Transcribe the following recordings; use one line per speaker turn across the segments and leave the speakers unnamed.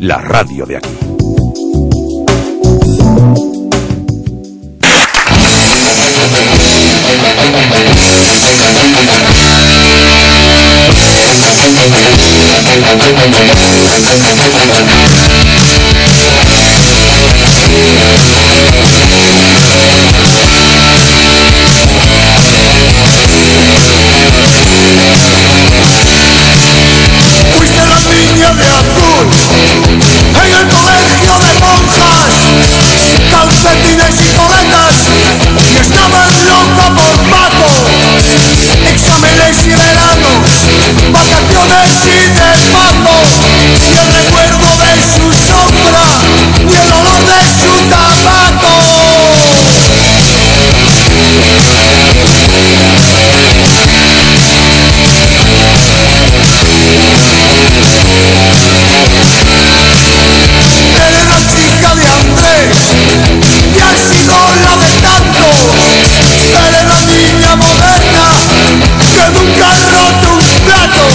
la radio de aquí.
Fuiste la niña de azul en el colegio de monjas, calcetines y coletas, y estabas loca por Paco. Exámenes y veranos, vacaciones y de Paco, y el recuerdo de su sombra y el olor de su tabaco. Eres la chica de Andrés y has sido la de tantos. Eres la niña moderna que nunca ha roto un plato.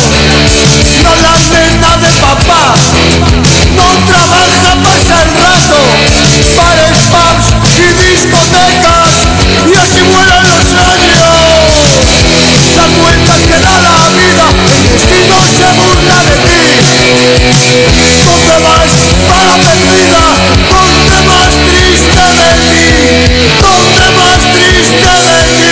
No la nena de papá, no trabaja, pasa el rato. Bares, pubs y discotecas, y así vuelan los años. Las vueltas que da la vida, el destino se burla de ti. ¿Dónde vas, para perdida? ¿Dónde más triste de ti? ¿Dónde más triste de ti?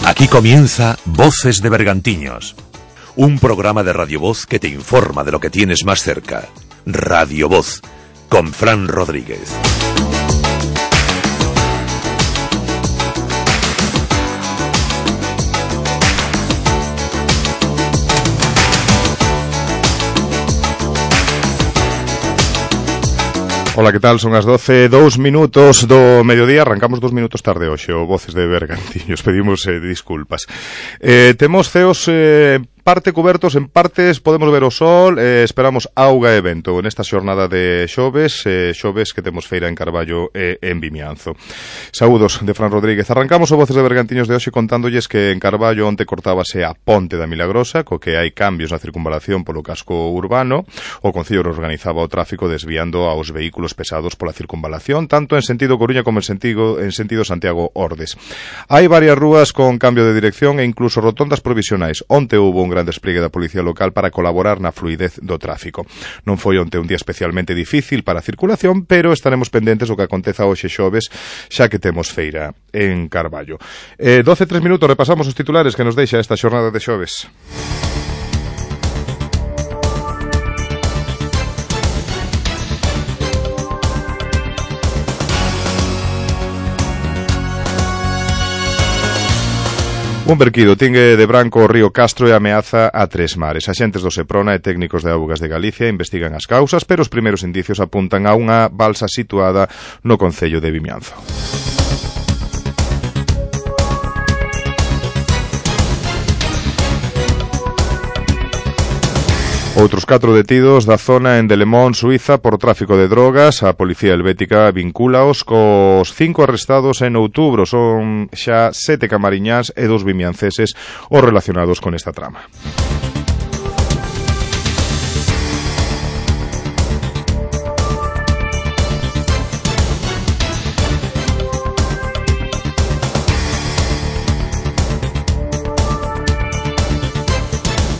Aquí comienza Voces de Bergantiños, un programa de Radio Voz que te informa de lo que tienes más cerca. Radio Voz, con Fran Rodríguez.
Ola, que tal? Son as 12:02 do mediodía. Arrancamos 2 minutos tarde hoxe, o Voces de Bergantiños. Pedimos disculpas. Temos ceos parte cubertos, en partes podemos ver o sol, esperamos auga e vento nesta xornada de xoves que temos feira en Carballo e en Vimianzo. Saúdos de Fran Rodríguez. Arrancamos o Voces de Bergantiños de hoxe contándolles que en Carballo onte cortábase a Ponte da Milagrosa, co que hai cambios na circunvalación polo casco urbano. O Concello organizaba o tráfico desviando aos vehículos pesados pola circunvalación, tanto en sentido Coruña como en sentido Santiago-Ordes. Hai varias rúas con cambio de dirección e incluso rotondas provisionais. Onte hubo un gran despliegue da Policía Local para colaborar na fluidez do tráfico. Non foi onte un día especialmente difícil para a circulación, pero estaremos pendentes do que aconteza hoxe xoves, xa que temos feira en Carballo. 12:03 minutos, repasamos os titulares que nos deixa esta xornada de xoves. Un verquido tingue de branco o río Castro e ameaza a Tres Mares. Axentes do Seprona e técnicos de Augas de Galicia investigan as causas, pero os primeiros indicios apuntan a unha balsa situada no concello de Vimianzo. Outros 4 detidos da zona en Delemón, Suiza, por tráfico de drogas. A policía helvética vincúlaos cos 5 arrestados en outubro. Son xa 7 camariñás e 2 vimianceses os relacionados con esta trama.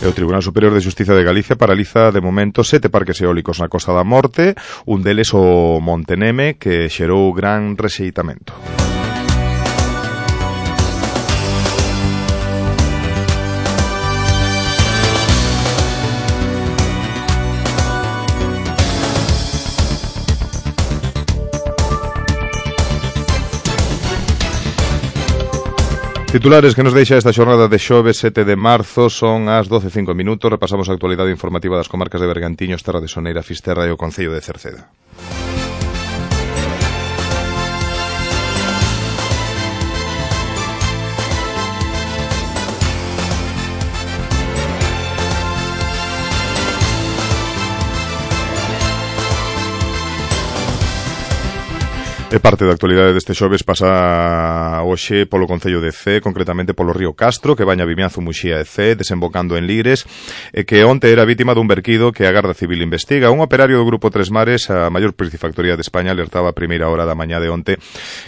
O Tribunal Superior de Xustiza de Galicia paraliza de momento 7 parques eólicos na Costa da Morte, un deles o Monteneme, que xerou gran rexeitamento. Titulares que nos deixa esta xornada de xoves 7 de marzo. Son as 12:05 minutos. Repasamos a actualidade informativa das comarcas de Bergantiños, Terra de Soneira, Fisterra e o Concello de Cerceda. E parte da actualidade deste xoves pasa hoxe polo Concello de Cee, concretamente polo río Castro, que baña Vimianzo, Muxía e Cee, desembocando en Lires, e que onte era vítima dun verquido que a Garda Civil investiga. Un operario do Grupo Tres Mares, a maior piscifactoría de España, alertaba a primeira hora da mañá de onte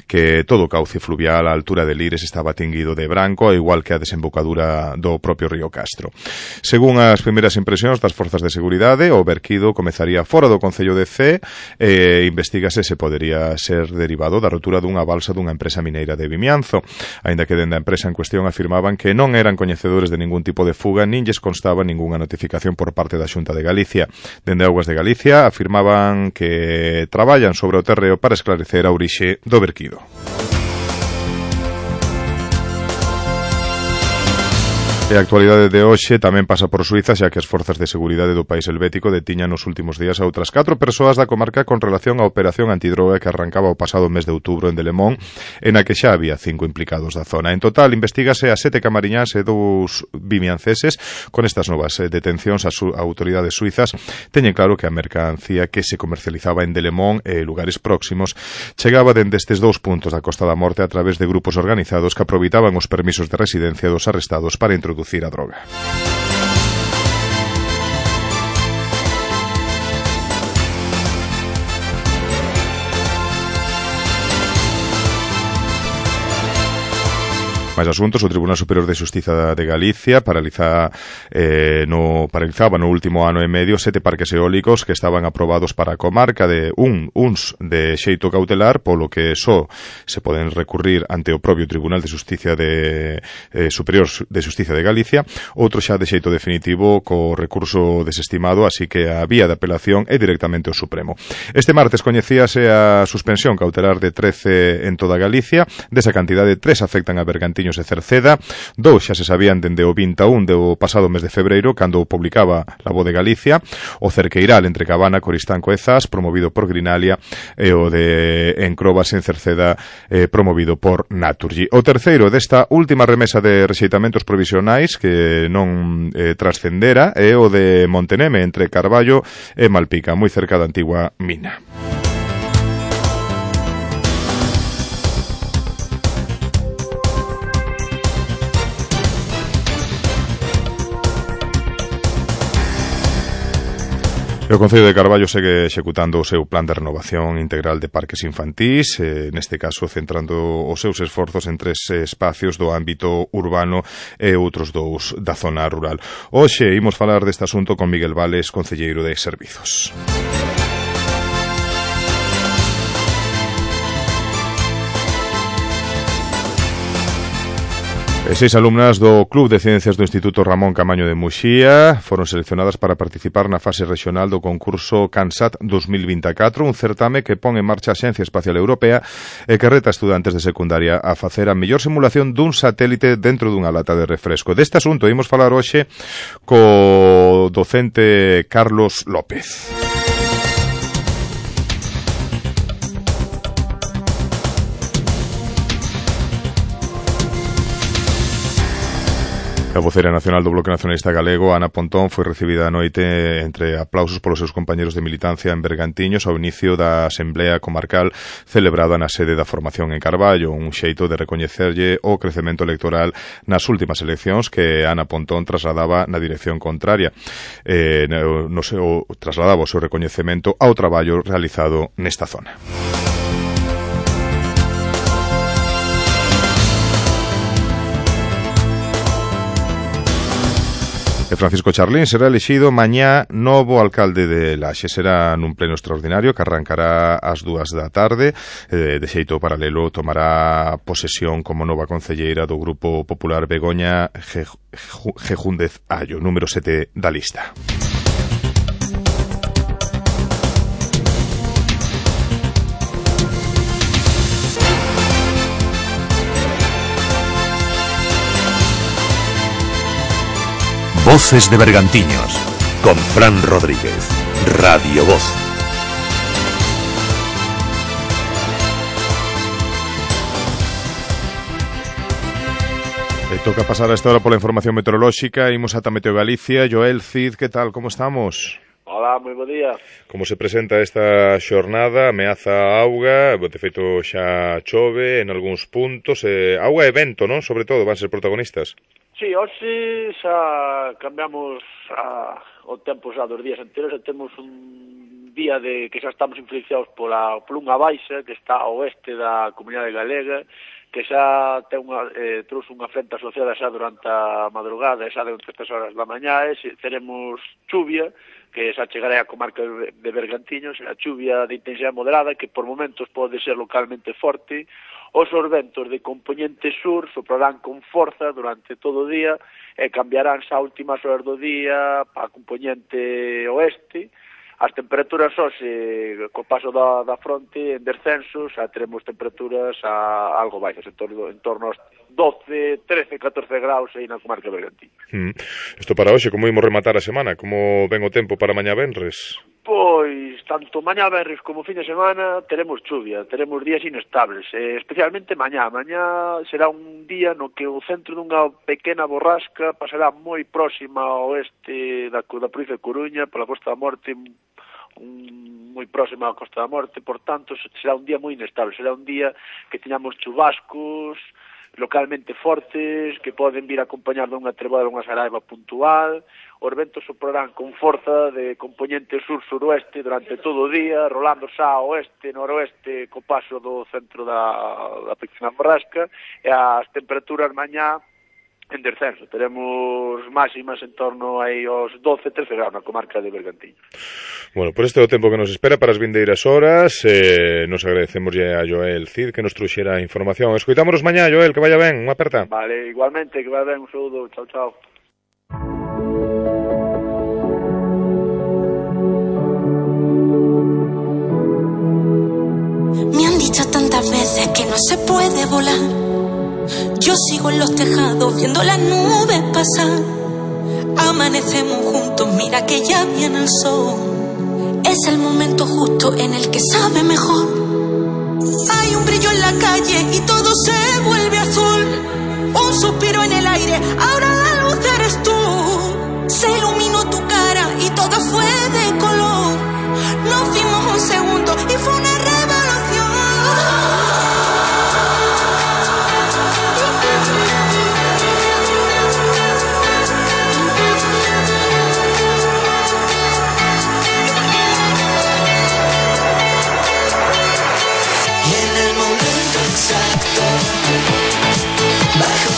que todo o cauce fluvial á altura de Lires estaba tinguido de branco, igual que a desembocadura do propio río Castro. Según as primeiras impresións das forzas de seguridade, o verquido comezaría fora do Concello de Cee e investigase se podería ser derivado da rotura dunha balsa dunha empresa mineira de Vimianzo, aínda que dende a empresa en cuestión afirmaban que non eran coñecedores de ningún tipo de fuga nin lles constaba ningunha notificación por parte da Xunta de Galicia. Dende Augas de Galicia afirmaban que traballan sobre o terreo para esclarecer a orixe do verquido. E a actualidade de hoxe tamén pasa por Suiza, xa que as forzas de seguridade do país helvético detiñan nos últimos días a outras 4 persoas da comarca con relación á operación antidroga que arrancaba o pasado mes de outubro en Delemón, en a que xa había 5 implicados da zona. En total, investígase a 7 camariñas e 2 vimianceses. Con estas novas detencións, as autoridades suizas teñen claro que a mercancía que se comercializaba en Delemón e lugares próximos chegaba dende estes 2 puntos da Costa da Morte a través de grupos organizados que aproveitaban os permisos de residencia dos arrestados para introducir a droga. Máis asuntos, o Tribunal Superior de Xustiza de Galicia paralizaba no último ano e medio 7 parques eólicos que estaban aprobados para a comarca de uns de xeito cautelar, polo que só se poden recurrir ante o propio Tribunal de Xustiza Superior de Xustiza de Galicia, outro xa de xeito definitivo co recurso desestimado, así que a vía de apelación é directamente o Supremo. Este martes coñecíase a suspensión cautelar de 13 en toda Galicia, desa cantidade 3 afectan a Bergantiños e Cerceda, 2 xa se sabían dende o 21 do pasado mes de febreiro, cando publicaba La Voz de Galicia, o Cerqueiral entre Cabana, Coristanco e Zas, promovido por Grinalia, e o de Encrobas en Cerceda, promovido por Naturgy. O terceiro desta última remesa de rexeitamentos provisionais que non trascendera é o de Monteneme entre Carballo e Malpica, moi cerca da antigua mina. O Concello de Carballo segue executando o seu plan de renovación integral de parques infantís, neste caso centrando os seus esforzos en 3 espacios do ámbito urbano e outros 2 da zona rural. Hoxe imos falar deste asunto con Miguel Vales, concelleiro de Servizos. E 6 alumnas do Club de Ciencias do Instituto Ramón Camaño de Muxía foron seleccionadas para participar na fase regional do concurso CANSAT 2024, un certame que pon en marcha a Axencia Espacial Europea e que reta estudantes de secundaria a facer a mellor simulación dun satélite dentro dunha lata de refresco. Deste asunto imos falar hoxe co docente Carlos López. A vocera nacional do Bloque Nacionalista Galego, Ana Pontón, foi recibida a noite entre aplausos polos seus compañeros de militancia en Bergantiños ao inicio da Asamblea Comarcal celebrada na sede da formación en Carballo, un xeito de recoñecerlle o crecemento electoral nas últimas eleccións que Ana Pontón trasladaba na dirección contraria. Trasladaba o seu recoñecemento ao traballo realizado nesta zona. E Francisco Charlín será elexido mañá novo alcalde de Laxe. Será nun pleno extraordinario que arrancará ás 2 da tarde. De xeito paralelo tomará posesión como nova concelleira do Grupo Popular Begoña Gejúndez Allo, número 7 da lista.
Voces de Bergantiños, con Fran Rodríguez, Radio Voz.
Toca pasar a esta hora pola información meteorolóxica. Imos ata Meteo Galicia. Joel Cid, que tal? Como estamos?
Hola, moi bo día.
Como se presenta esta xornada? Ameaza a auga, de feito xa chove en algúns puntos, auga e vento, non? Sobre todo, van ser protagonistas.
Sí, hoxe xa cambiamos o tempo xa dos días anteriores, temos un día de que xa estamos influenciados por unha baixa que está ao oeste da Comunidade Galega, que xa trouxe unha frente asociada xa durante a madrugada, xa de 3 horas da mañá, e teremos chuvia, que xa chegará a comarca de Bergantiños, a chuvia de intensidade moderada, que por momentos pode ser localmente forte. Os ventos de componente sur soprarán con forza durante todo o día e cambiarán xa a últimas horas do día para componente oeste. As temperaturas hoxe, co paso da fronte, en descenso, xa teremos temperaturas algo baixas, en torno aos 12, 13, 14 graus aí na comarca de Bergantiños.
Isto para hoxe, como imos rematar a semana? Como ven o tempo para mañá venres?
Pois, tanto mañá venres como fin de semana teremos chuvia, teremos días inestables, especialmente mañá. Mañá será un día no que o centro dunha pequena borrasca pasará moi próxima ao oeste da provincia de Coruña, pola Costa da Morte, moi próxima á Costa da Morte, por tanto será un día moi inestable, será un día que teñamos chubascos localmente fortes, que poden vir acompañar dunha treboada, dunha saraiva puntual. Os ventos soprarán con forza de componente sur-suroeste durante todo o día, rolando xa ao oeste, noroeste, co paso do centro da pequena borrasca, e as temperaturas mañá en descenso. Teremos máximas en torno aí aos 12, 13 graus na comarca de Bergantiños.
Bueno, por este é o tempo que nos espera para as vindeiras horas. Nos agradecemos a Joel Cid que nos truxera a información. Escoitámonos mañá, Joel, que vaya ben, unha aperta.
Vale, igualmente, que vaya ben, un saúdo, chao, chao.
Me han dicho tantas veces que no se puede volar. Yo sigo en los tejados viendo las nubes pasar. Amanecemos juntos, mira que ya viene el sol. Es el momento justo en el que sabe mejor. Hay un brillo en la calle y todo se vuelve azul. Un suspiro en el aire, ahora la luz eres tú. Se iluminó tu cara y todo fue de color. Nos fuimos un segundo y fue una revolución.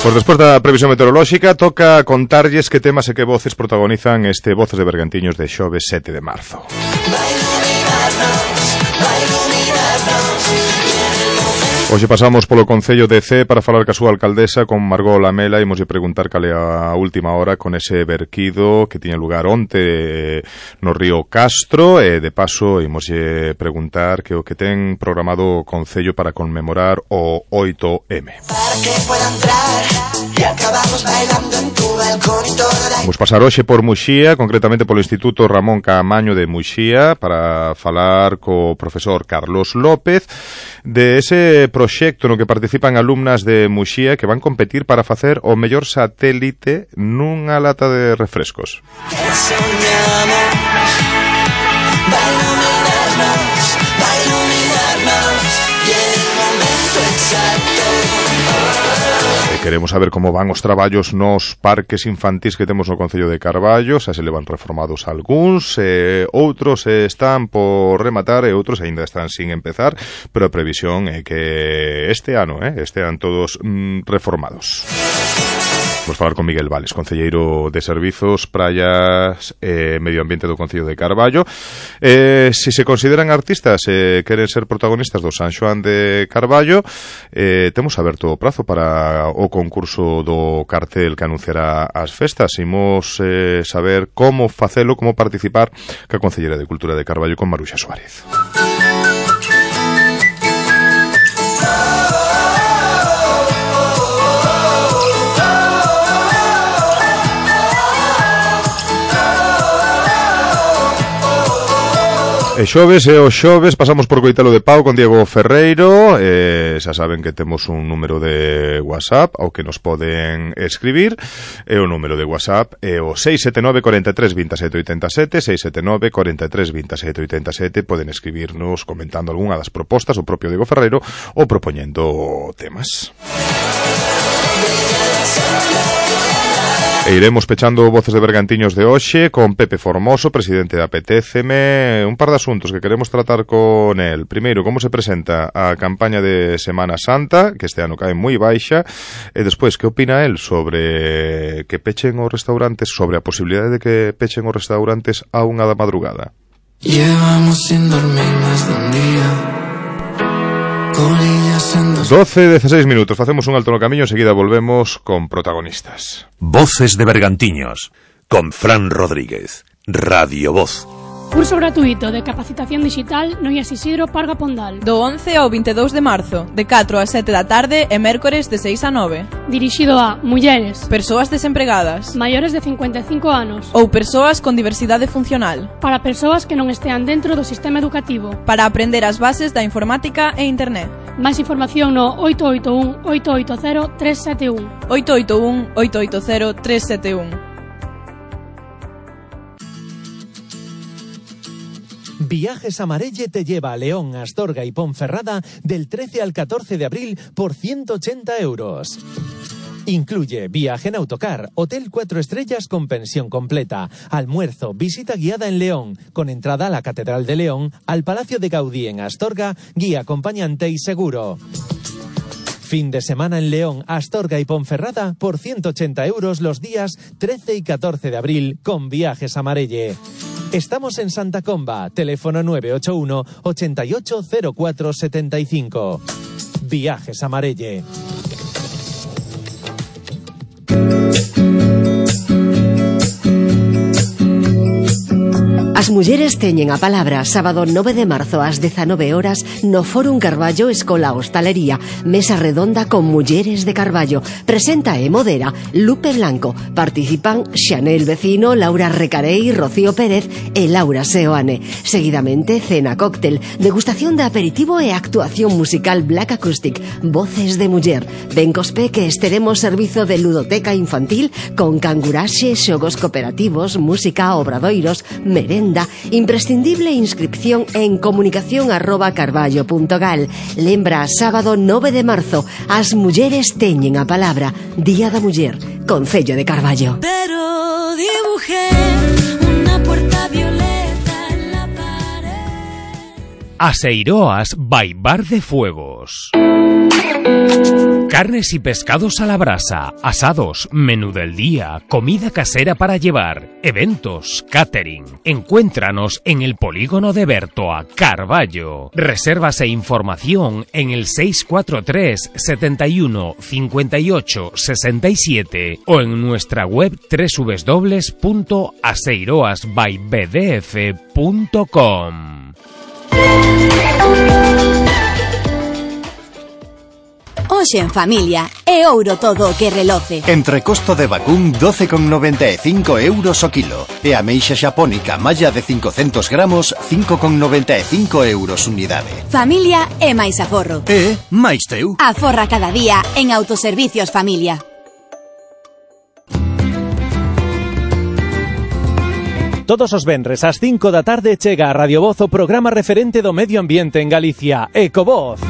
Pois despois da previsión meteorolóxica toca contarlles que temas e que voces protagonizan este Voces de Bergantiños de xoves 7 de marzo. Hoxe pasamos polo Concello de Cee para falar ca súa alcaldesa, con Margot Lamela, e imoslle preguntar cal é a última hora con ese verquido que tiña lugar onte no río Castro, e de paso imoslle preguntar que o que ten programado o Concello para conmemorar o 8M. Vamos pasar hoxe por Muxía, concretamente polo Instituto Ramón Caamaño de Muxía, para falar co profesor Carlos López de ese proxecto no que participan alumnas de Muxía que van competir para facer o mellor satélite nunha lata de refrescos. Queremos saber como van os traballos nos parques infantís que temos no Concello de Carballo, xa se levan reformados algúns, outros están por rematar e outros aínda están sin empezar, pero a previsión é que este ano estean todos reformados. Vamos falar con Miguel Vales, concelleiro de Servizos, Praias e Medio Ambiente do Concello de Carballo. Se se consideran artistas e queren ser protagonistas do San Xoán de Carballo, temos aberto o prazo para o concurso do cartel que anunciará as festas. Imos saber como facelo, como participar ca Concelleira de Cultura de Carballo con Maruxa Suárez. E os xoves pasamos por Coitelo de Pau con Diego Ferreiro. Xa saben que temos un número de WhatsApp ao que nos poden escribir. E o número de WhatsApp é o 679 43 27 87, 679 43 27 87. Poden escribirnos comentando algunha das propostas o propio Diego Ferreiro ou propoñendo temas. E iremos pechando Voces de Bergantiños de hoxe con Pepe Formoso, presidente da Apetéceme. Un par de asuntos que queremos tratar con el. Primeiro, como se presenta a campaña de Semana Santa, que este ano cae moi baixa, e despois, que opina el sobre que pechen os restaurantes, sobre a posibilidade de que pechen os restaurantes a 1 da madrugada.
Llevamos sin dormir más de un día.
12:16 minutos, facemos un alto no camiño, enseguida volvemos con protagonistas.
Voces de Bergantiños, con Fran Rodríguez, Radio Voz.
Curso gratuito de capacitación digital no IES Isidro Parga Pondal.
Do 11 ao 22 de marzo, de 4 a 7 da tarde e mércores de 6 a 9.
Dirixido a mulleres,
persoas desempregadas,
maiores de 55 anos
ou persoas con diversidade funcional.
Para persoas que non estean dentro do sistema educativo.
Para aprender as bases da informática e internet.
Máis información no 881 880 371.
881 880 371.
Viajes Amarelle te lleva a León, Astorga y Ponferrada del 13 al 14 de abril por 180 euros. Incluye viaje en autocar, hotel 4 estrellas con pensión completa, almuerzo, visita guiada en León, con entrada a la Catedral de León, al Palacio de Gaudí en Astorga, guía acompañante y seguro. Fin de semana en León, Astorga y Ponferrada por 180 euros los días 13 y 14 de abril con Viajes Amarelle. Estamos en Santa Comba, teléfono 981 880475. Viajes Amarelle.
As mulleres teñen a palabra sábado 9 de marzo ás 19 horas no Fórum Carballo Escola Hostalería, mesa redonda con mulleres de Carballo. Presenta e modera Lupe Blanco. Participan Xanel Vecino, Laura Recarei, Rocío Pérez e Laura Seoane. Seguidamente cena cóctel, degustación de aperitivo e actuación musical Black Acoustic, voces de muller. Ben cospe que estaremos servizo de ludoteca infantil con canguraxe, xogos cooperativos, música, obradoiros, merenda. Imprescindible inscripción en comunicación@carballo.gal. Lembra, sábado 9 de marzo, as mulleres teñen a palabra. Día da Muller, Concello de Carballo.
Pero dibujé una puerta violeta en la pared.
Aseiroas by Bar de Fuegos. Carnes y pescados a la brasa, asados, menú del día, comida casera para llevar, eventos, catering. Encuéntranos en el Polígono de Bertoa, Carballo. Reservas e información en el 643 71 58 67 o en nuestra web www.aseiroasbybdf.com.
Hoxe en familia, é ouro todo o que reloce.
Entrecosto de vacún 12,95 euros o kilo. E ameixa xapónica malla de 500 gramos 5,95 euros unidade.
Familia é máis aforro.
E máis teu.
Aforra cada día en Autoservicios Familia.
Todos os venres ás 5 da tarde chega a Radio Voz o programa referente do medio ambiente en Galicia, Ecovoz.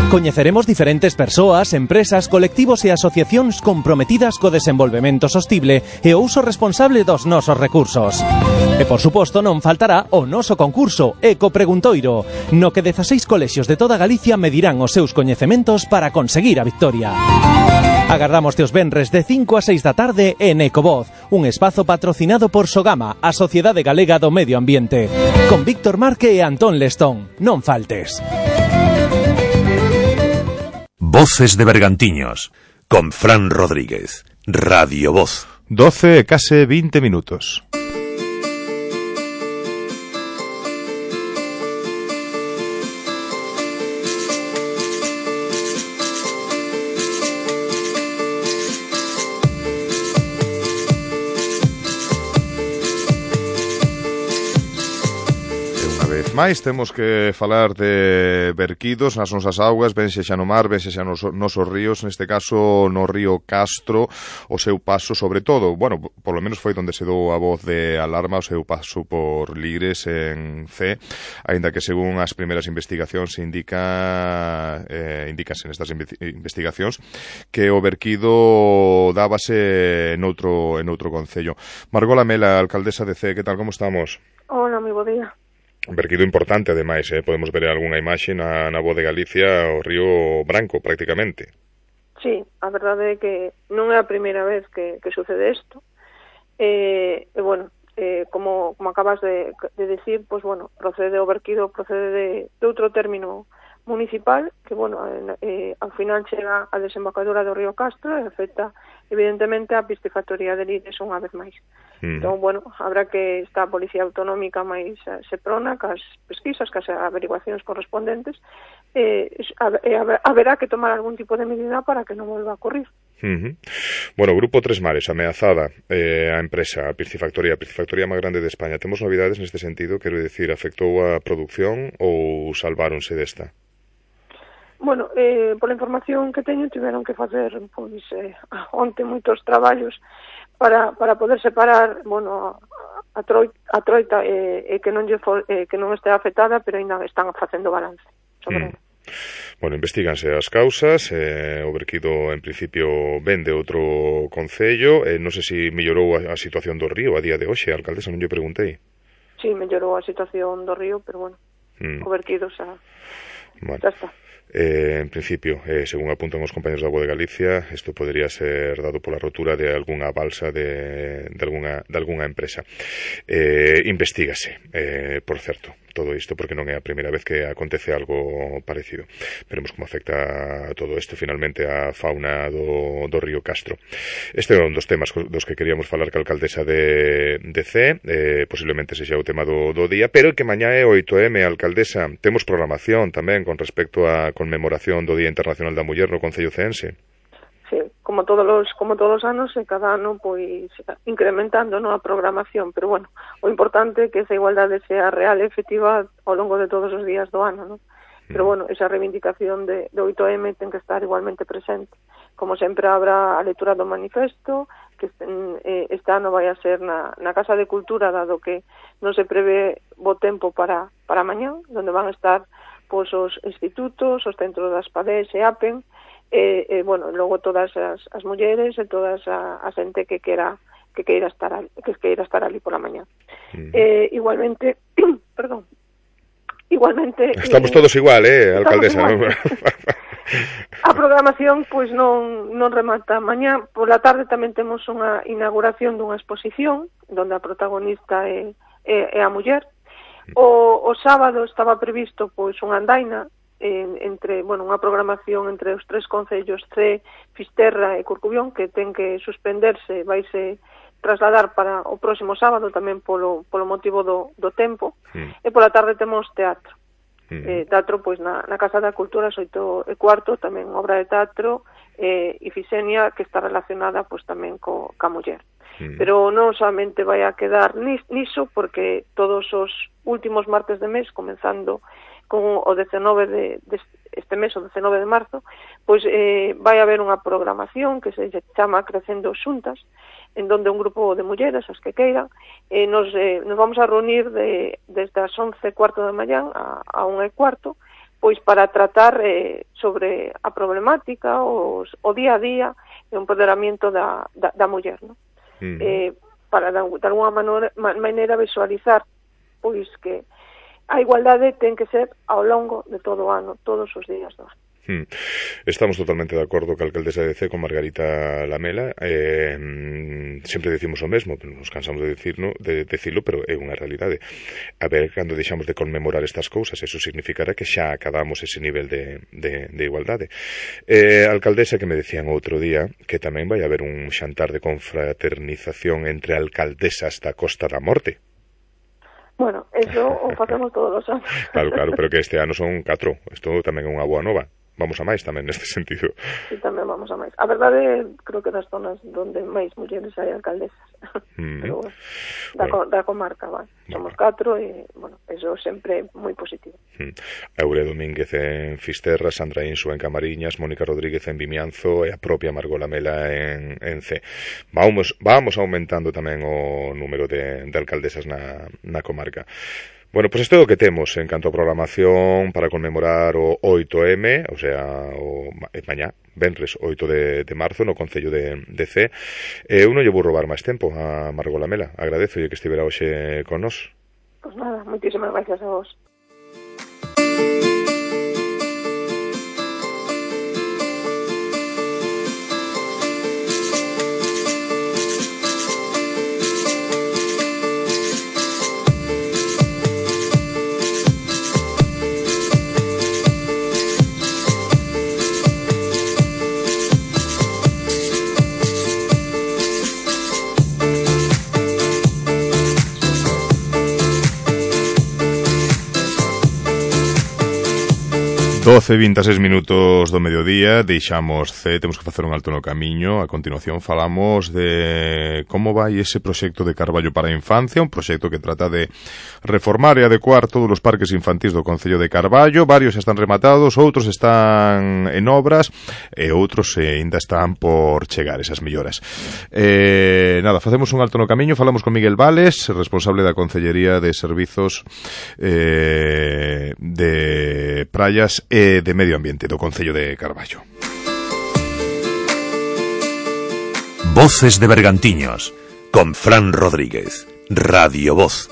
Coñeceremos diferentes persoas, empresas, colectivos e asociacións comprometidas co desenvolvemento sostible e o uso responsable dos nosos recursos. E, por suposto, non faltará o noso concurso Eco Preguntoiro, no que 16 colexios de toda Galicia medirán os seus coñecementos para conseguir a victoria. Agardamos os venres de 5 a 6 da tarde en Ecovoz, un espazo patrocinado por Sogama, a Sociedade Galega do Medio Ambiente, con Víctor Marque e Antón Lestón. Non faltes.
Voces de Bergantiños, con Fran Rodríguez, Radio Voz.
12 e case 20 minutos. vez máis temos que falar de verquidos nas nosas augas, vense xa no mar, vense xa nos nosos ríos, neste caso no río Castro, o seu paso sobre todo, bueno, por lo menos foi onde se dou a voz de alarma, o seu paso por Lires en C, aínda que según as primeiras investigacións indícanse nestas investigacións que o verquido dábase noutro concello. Margot Lamela, alcaldesa de C, que tal, como estamos?
Hola, moi bo día.
Un verquido importante, ademais, podemos ver algunha imaxe na voz de Galicia, o río Branco, prácticamente.
Sí, a verdade é que non é a primeira vez que sucede isto. Bueno, como acabas de decir, pues bueno, procede o verquido, procede de outro término municipal, que, bueno, ao final chega a desembocadura do río Castro e afecta, evidentemente, a piscifactoría de Lires unha vez máis. Entón, bueno, habrá que esta Policía Autonómica máis se prona cas pesquisas, cas averiguacións correspondentes, haberá que tomar algún tipo de medida para que non volva a ocurrir.
Bueno, Grupo Tres Mares, ameazada a empresa, a piscifactoría máis grande de España. Temos novidades neste sentido? Quero dicir, afectou a produción ou salváronse desta?
Bueno, pola información que teño, tiveron que facer pois onte moitos traballos para poder separar, bueno, a troita que non este afectada, pero ainda están facendo balance sobre
Bueno, investíganse as causas, o verquido en principio ven de outro concello, non sei se mellorou a situación do río a día de hoxe, alcaldesa, non lle preguntei.
Sí, mellorou a situación do río, pero bueno, o verquido xa está.
En principio, según apuntan os compañeros da Voz de Galicia, isto podería ser dado pola rotura de algunha balsa de algunha empresa. Investígase, por certo, todo isto, porque non é a primeira vez que acontece algo parecido. Veremos como afecta todo isto finalmente a fauna do río Castro. Este é un dos temas dos que queríamos falar ca alcaldesa de C, posiblemente sexa o tema do día, pero que mañá é 8M, alcaldesa. Temos programación tamén con respecto a conmemoración do Día Internacional da Muller no Concello Ceense.
Sí, como todos os anos, cada ano pois incrementando a programación, pero bueno, o importante é que esa igualdade sea real e efectiva ao longo de todos os días do ano, non? Pero bueno, esa reivindicación de 8M ten que estar igualmente presente. Como sempre, habrá a lectura do manifesto, que este ano vai a ser na Casa de Cultura, dado que non se prevé bo tempo para mañá, onde van a estar pois os institutos, os centros das PADES e APEN, bueno, logo todas as mulleres e todas a xente que queira estar ali pola mañá. Igualmente, perdón. Igualmente
estamos todos igual, alcaldesa.
A programación pois non remata mañá. Pola tarde tamén temos unha inauguración dunha exposición onde a protagonista é a muller. O sábado estaba previsto pois unha andaina entre, bueno, unha programación entre os tres concellos C, Fisterra e Corcubión, que ten que suspenderse, vaise trasladar para o próximo sábado tamén polo motivo do tempo. E pola tarde temos teatro. Teatro pois na Casa da Cultura, 8:15, tamén obra de teatro Ifisenia, que está relacionada pois tamén ca muller. Pero non solamente vai a quedar niso, porque todos os últimos martes de mes, comenzando con o 19 de este mes, o 19 de marzo, pois vai haber unha programación que se chama Crecendo Xuntas, en donde un grupo de mulleres, as que queiran, nos vamos a reunir desde as 11:15 da mañá a 1:15, pois para tratar sobre a problemática, o día a día e o empoderamento da muller, non? Para de alguna maneira visualizar pois que a igualdade ten que ser ao longo de todo o ano, todos os días do ano.
Estamos totalmente de acordo ca alcaldesa de C, con Margarita Lamela. Sempre decimos o mesmo, nos cansamos de decirlo, pero é unha realidade. A ver, cando deixamos de conmemorar estas cousas, eso significará que xa acabamos ese nivel de igualdade. Alcaldesa, que me decían outro día que tamén vai haber un xantar de confraternización entre alcaldesas da Costa da Morte.
Bueno, eso o facemos todos os anos.
Claro, pero que este ano son 4. Isto tamén é unha boa nova. vamos a máis tamén neste sentido.
Sí, tamén vamos a máis. A verdade, creo que das zonas onde máis mulleres hai alcaldesas. Pero, da comarca, vai. Somos 4 e, bueno, eso sempre moi positivo.
Eure Domínguez en Fisterra, Sandra Insu en Camariñas, Mónica Rodríguez en Vimianzo e a propia Margot Lamela en C. Vamos aumentando tamén o número de alcaldesas na comarca. Bueno, pois isto é o que temos en canto a programación para conmemorar o 8M, o sea, mañá, venres 8 de marzo, no Concello de C. Eu non lle vou roubar máis tempo a Margot Lamela. Agradezo que estivera hoxe con nós.
Pois nada, moitísimas gracias a vos.
Doce 26 minutos do mediodía, deixamos C, temos que facer un alto no camiño. A continuación falamos de como vai ese proxecto de Carballo para a infancia, un proxecto que trata de reformar e adecuar todos os parques infantís do Concello de Carballo. Varios están rematados, outros están en obras e outros ainda están por chegar esas melloras. Nada, facemos un alto no camiño, falamos con Miguel Vales, responsable da Concellería de Servizos de Praias e de Medio Ambiente do Concello de Carballo.
Voces de Bergantiños, con Fran Rodríguez, Radio Voz.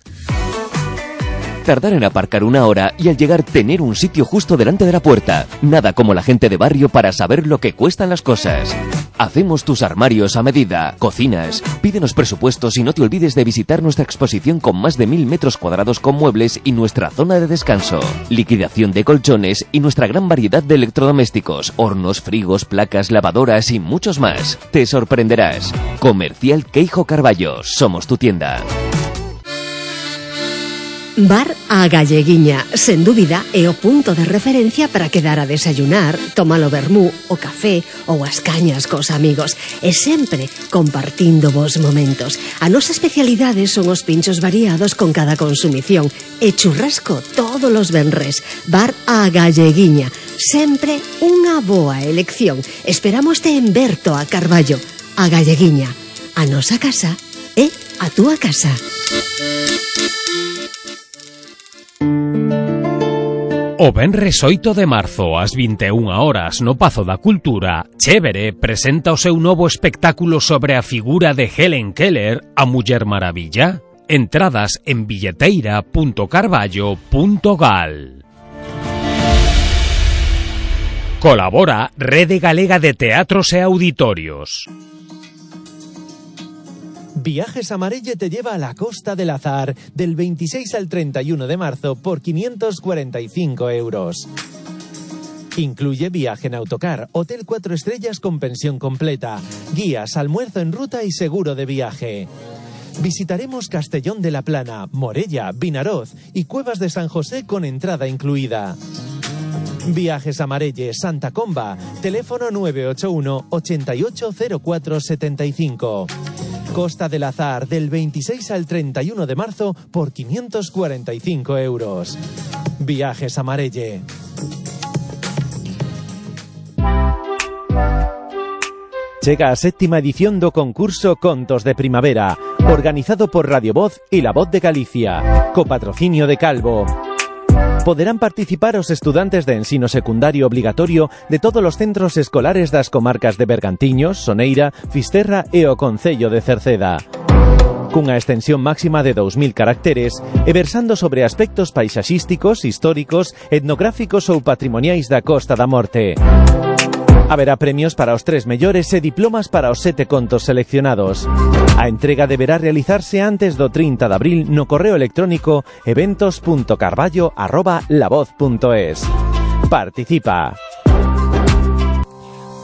Tardar en aparcar una hora y al llegar tener un sitio justo delante de la puerta. Nada como la gente de barrio para saber lo que cuestan las cosas. Hacemos tus armarios a medida, cocinas, pídenos presupuestos y no te olvides de visitar nuestra exposición con más de 1000 metros cuadrados con muebles y nuestra zona de descanso. Liquidación de colchones y nuestra gran variedad de electrodomésticos, hornos, frigos, placas, lavadoras y muchos más. Te sorprenderás. Comercial Queijo Carballo, somos tu tienda.
Bar a Galleguiña, sen dúbida, é o punto de referencia para quedar a desayunar, tomar o vermú, o café ou as cañas cos amigos e sempre compartindo vos momentos. A nosa especialidade son os pinchos variados con cada consumición e churrasco todos os venres. Bar a Galleguiña, sempre unha boa elección. Esperámoste en Berto a Carballo. A Galleguiña, a nosa casa é a túa casa.
O venres 8 de marzo, ás 21 horas, no Pazo da Cultura, Chévere presenta o seu novo espectáculo sobre a figura de Helen Keller, a Muller Maravilla. Entradas en billeteira.carballo.gal. Colabora Rede Galega de Teatros e Auditorios.
Viajes Amarelle te lleva a la Costa del Azar del 26 al 31 de marzo por 545 euros. Incluye viaje en autocar, hotel 4 estrellas con pensión completa, guías, almuerzo en ruta y seguro de viaje. Visitaremos Castellón de la Plana, Morella, Vinaroz y Cuevas de San José con entrada incluida. Viajes Amarelle, Santa Comba, teléfono 981 880475. Costa del Azar, del 26 al 31 de marzo por 545 euros. Viajes Amarelle. Chega a 7ª edición do concurso Contos de Primavera, organizado por Radio Voz e La Voz de Galicia, co patrocinio de Calvo. Poderán participar os estudantes de ensino secundario obligatorio de todos os centros escolares das comarcas de Bergantiños, Soneira, Fisterra e o Concello de Cerceda. Cunha extensión máxima de 2000 caracteres e versando sobre aspectos paisaxísticos, históricos, etnográficos ou patrimoniais da Costa da Morte. Haberá premios para os 3 mellores e diplomas para os 7 contos seleccionados. A entrega deberá realizarse antes do 30 de abril no correo electrónico eventos.carballo@lavoz.es. Participa.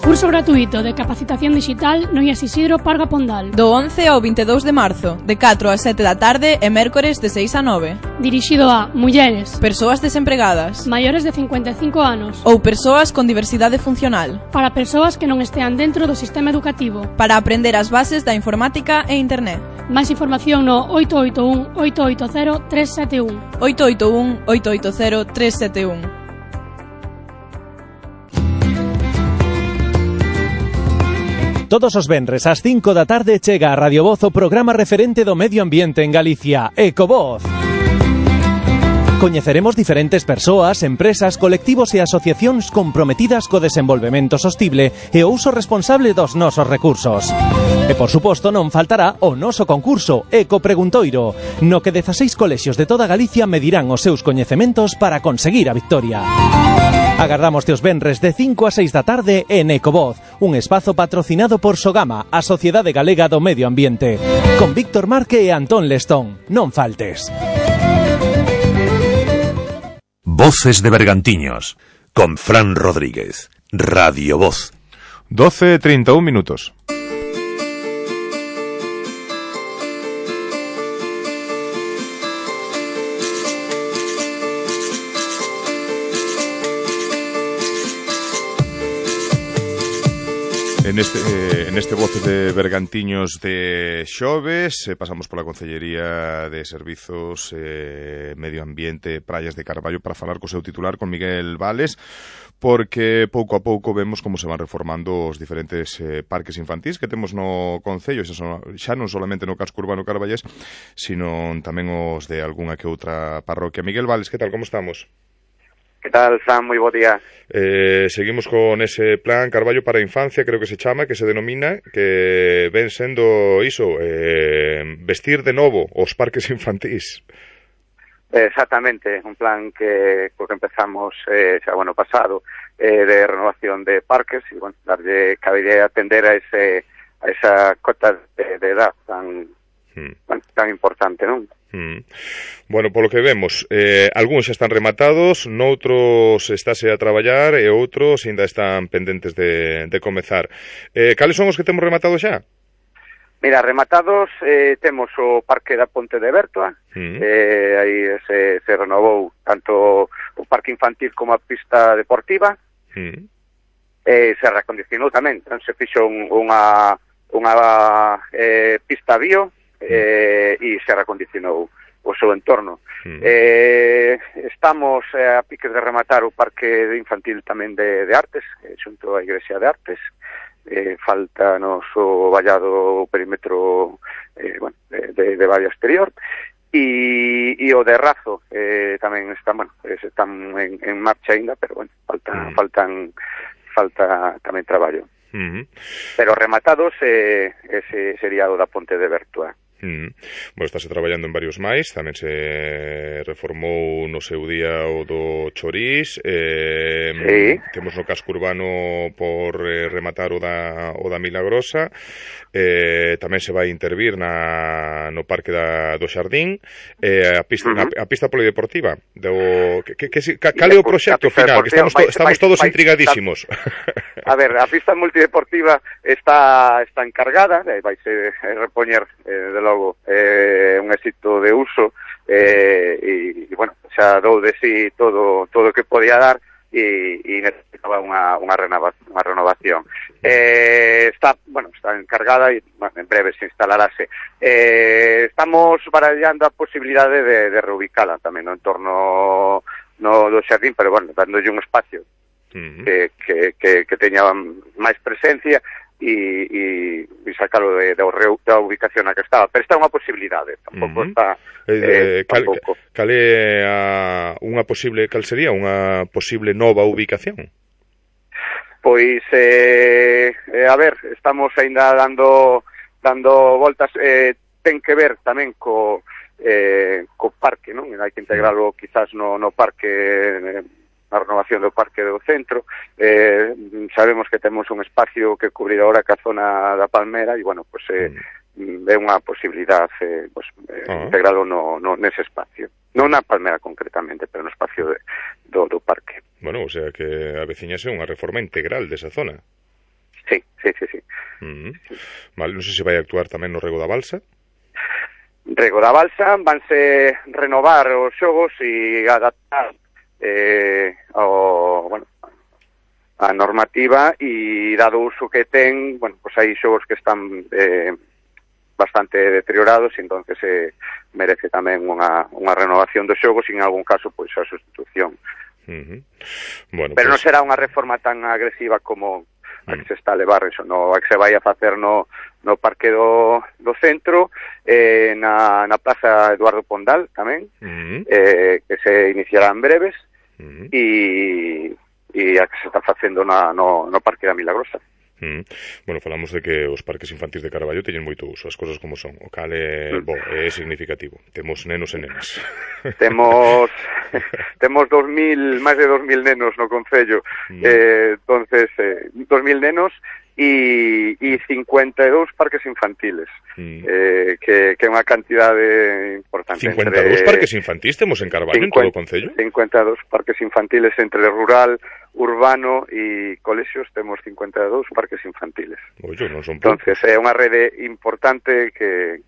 Curso gratuito de capacitación digital no IAS Isidro Parga Pondal.
Do 11 ao 22 de marzo, de 4 a 7 da tarde e mércores de 6 a 9.
Dirixido a mulleres,
persoas desempregadas,
maiores de 55 anos
ou persoas con diversidade funcional.
Para persoas que non estean dentro do sistema educativo.
Para aprender as bases da informática e internet.
Máis información no 881-880-371.
881-880-371.
Todos os venres ás 5 da tarde chega a Radio Voz o programa referente do medio ambiente en Galicia, Ecovoz. Coñeceremos diferentes persoas, empresas, colectivos e asociacións comprometidas co desenvolvemento sostible e o uso responsable dos nosos recursos. E, por suposto, non faltará o noso concurso Eco Preguntoiro, no que 16 colexios de toda Galicia medirán os seus coñecementos para conseguir a victoria. Agardámoste os venres de 5 a 6 da tarde en Ecovoz, un espazo patrocinado por Sogama, a Sociedade Galega do Medio Ambiente, con Víctor Marque e Antón Lestón. Non faltes.
Voces de Bergantiños, con Fran Rodríguez, Radio Voz.
12:31 minutos. En este Voces de Bergantiños de xoves pasamos pola Concellería de Servizos, Medio Ambiente, Praias de Carballo para falar co seu titular, con Miguel Vales, porque pouco a pouco vemos como se van reformando os diferentes parques infantís que temos no Concello, xa non solamente no casco urbano carballés, sino tamén os de algunha que outra parroquia. Miguel Vales, que tal, como estamos?
Que tal, Fran? Moi bo día.
Seguimos con ese plan Carballo para a Infancia, creo que se chama, que se denomina, que ven sendo iso, vestir de novo os parques infantís.
Exactamente, un plan que empezamos xa o ano pasado, de renovación de parques, e bueno, darlle cabida a atender a esa cota de edad tan importante, non?
Bueno, polo que vemos, algúns xa están rematados, noutros estáse a traballar e outros ainda están pendentes de comezar. Cales son os que temos rematados xa?
Mira, rematados temos o Parque da Ponte de Bertoa, aí se renovou tanto o parque infantil como a pista deportiva, se reacondicionou tamén, se fixo unha pista bio, e se reacondicionou o seu entorno. Estamos a piques de rematar o parque infantil tamén de artes, xunto á Igrexa de Artes. Falta nos o vallado perímetro de valla exterior, e o de Razo tamén están en marcha ainda, pero falta tamén traballo. Pero rematados ese sería o da Ponte de Bertoa.
Bueno, estáse traballando en varios máis, tamén se reformou no seu día o do Chorís, temos no casco urbano por rematar o da Milagrosa, tamén se vai intervir no parque do Xardín, a pista polideportiva. Cal é o proxecto final? Que estamos todos intrigadísimos.
A ver, a pista multideportiva está encargada, vai se repoñer de logo un éxito de uso, e bueno, xa dou de sí todo o que podía dar, e necesitaba unha renovación. Está encargada e en breve se instalarase. Estamos barallando a posibilidade de reubicala tamén no entorno do xardín, pero bueno, dándolle un espacio que teña máis presencia e sacalo da ubicación na que estaba, pero está unha posibilidade, tampouco está
cal sería unha posible nova ubicación?
Pois a ver, estamos aínda dando voltas, ten que ver tamén co parque, non? Hai que integralo quizás no parque, na renovación do parque do centro. Sabemos que temos un espacio que cubrir agora ca zona da Palmera, e bueno, pues é unha posibilidad integralo nese espacio, non na Palmera concretamente, pero no espacio do parque.
Bueno, o sea que aveciñase unha reforma integral desa zona.
Sí.
Vale, non sei se vai actuar tamén no Rego da Balsa.
Rego da Balsa, vanse renovar os xogos e adaptar a normativa, e dado o uso que ten, pois hai xogos que están bastante deteriorados, e entonces merece tamén unha renovación dos xogos e en algún caso pois a sustitución. Pero non será unha reforma tan agresiva como a que se está a levar, eso, a que se vai a facer no Parque do Centro, na Plaza Eduardo Pondal tamén, que se iniciará en breves, e a que se está facendo no Parque da Milagrosa.
Bueno, falamos de que os parques infantis de Carballo teñen moito uso, as cosas como son, o cal é significativo. Temos nenos e nenas.
Temos máis de 2.000 nenos no concello, entonces 2.000 nenos e 52 parques infantiles, que é unha cantidade importante.
52 parques infantis temos en Carballo, en todo o concello?
52 parques infantiles entre rural, urbano e colexios, temos 52 parques infantiles.
Oye, non son poucos.
Entonces é unha rede importante que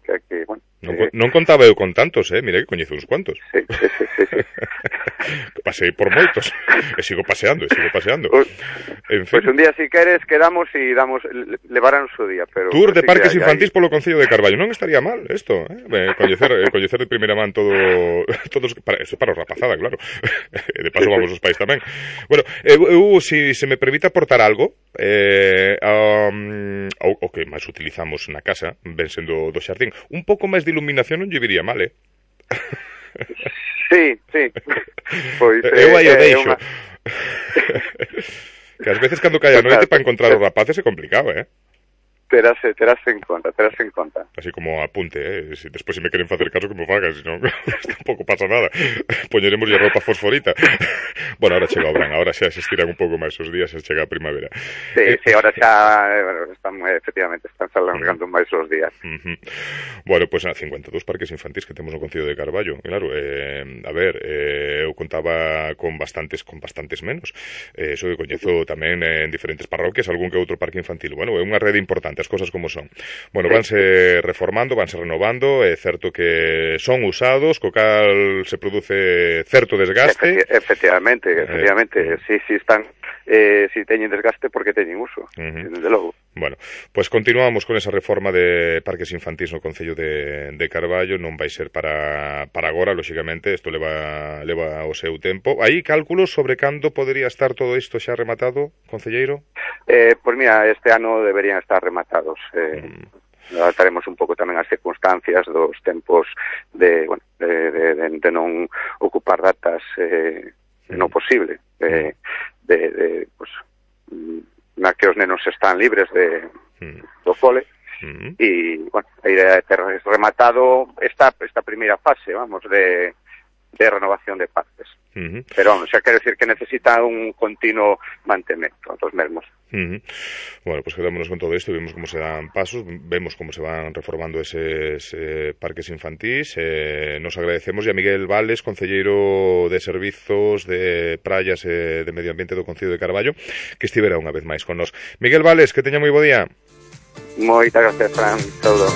bueno,
non contaba eu con tantos, mira que coñezo uns cuantos.
Sí.
Pasei por moitos e sigo paseando. En fin.
Pois un día, si queres, quedamos e levarán o seu día. Pero
tour de parques infantís polo Concello de Carballo. Non estaría mal isto, coñecer de primeira man todos para os rapazada, claro. De paso vamos os pais tamén. Bueno, eu, se me permite aportar algo, o que máis utilizamos na casa, ven sendo do xardín, un pouco máis de iluminación non lle viría mal,
Sí. Pois,
eu aí o deixo. Que ás veces cando cae a noite para encontrar os rapaces é complicado,
Terás en conta.
Así como apunte, despois se me queren facer caso que me fagan, senón tampouco pasa nada. Poñeremos a roupa fosforita. Bueno, ahora chega o verán, ahora xa se estiran un pouco máis os días, xa chega a primavera.
Sí, ahora xa efectivamente están alargando máis os días.
Bueno, pois 52 parques infantís que temos no Concello de Carballo. Claro, a ver, eu contaba con bastantes menos. Eso que coñezo tamén en diferentes parroquias, algún que outro parque infantil. Bueno, é unha rede importante, as cosas como son. Bueno, vanse reformando, vanse renovando, é certo que son usados, co cal se produce certo desgaste.
Efectivamente, si están, si teñen desgaste porque teñen uso, desde logo.
Bueno, pues continuamos con esa reforma de parques infantís no Concello de Carballo, non vai ser para agora, lóxicamente, isto leva o seu tempo. Aí cálculos sobre cando podería estar todo isto xa rematado, concelleiro?
Pois mira, este ano deberían estar rematados. Adaptaremos un pouco tamén as circunstancias dos tempos de non ocupar datas no posible, na que os nenos están libres do cole, e, bueno, a idea é ter rematado esta primeira fase, vamos, de renovación de parques. Pero, xa quero decir que necesita un continuo mantemento dos mesmos.
Bueno, pues quedámonos con todo isto, vemos como se dan pasos, vemos como se van reformando eses parques infantís. Nos agradecemos a Miguel Vales, concelleiro de Servizos de Praias e de Medio Ambiente do Concello de Carballo, que estivera unha vez máis con nós. Miguel Vales, que teña moi bo día.
Moitas gracias, Fran. Todo.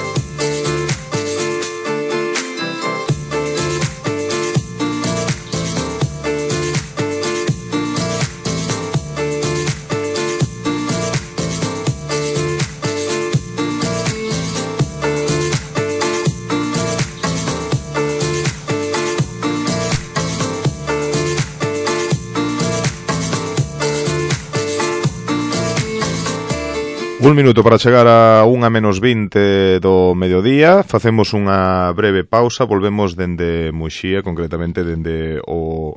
Un minuto para chegar a 1:20 do mediodía. Facemos unha breve pausa. Volvemos dende Muxía, concretamente dende o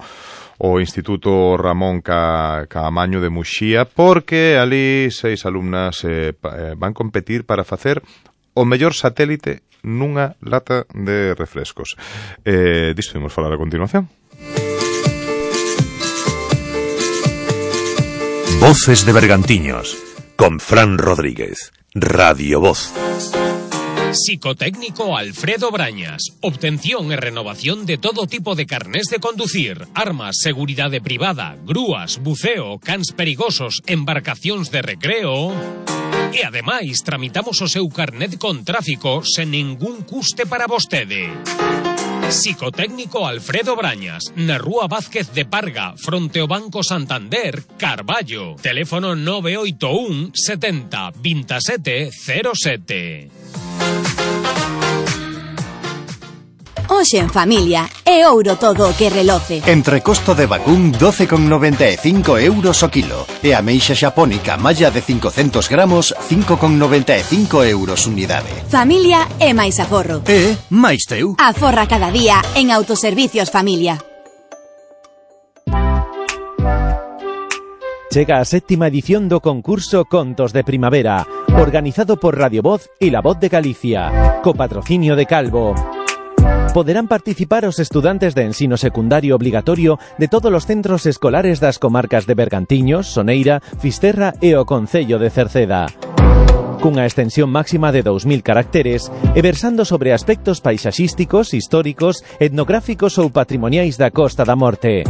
Instituto Ramón Caamaño de Muxía, porque ali 6 alumnas van competir para facer o mellor satélite nunha lata de refrescos. Disto imos falar a continuación.
Voces de Bergantiños con Fran Rodríguez, Radio Voz.
Psicotécnico Alfredo Brañas. Obtención e renovación de todo tipo de carnés de conducir, armas, seguridade privada, grúas, buceo, cans perigosos, embarcacións de recreo. E ademais tramitamos o seu carnet con tráfico sen ningún custe para vostede. Psicotécnico Alfredo Brañas, na Rúa Vázquez de Parga, fronte ao Banco Santander, Carballo. Teléfono 981 70 27 07.
Hoxe en familia, é ouro todo o que reloce.
Entrecosto de vacún 12,95 euros o kilo. E ameixa xapónica malla de 500 gramos 5,95 euros unidade.
Familia é máis aforro.
E máis teu.
Aforra cada día en Autoservicios Familia.
Chega a 7ª edición do concurso Contos de Primavera, organizado por Radio Voz e La Voz de Galicia, co patrocinio de Calvo. Poderán participar os estudantes de ensino secundario obligatorio de todos os centros escolares das comarcas de Bergantiños, Soneira, Fisterra e o Concello de Cerceda. Cunha extensión máxima de 2000 caracteres e versando sobre aspectos paisaxísticos, históricos, etnográficos ou patrimoniais da Costa da Morte.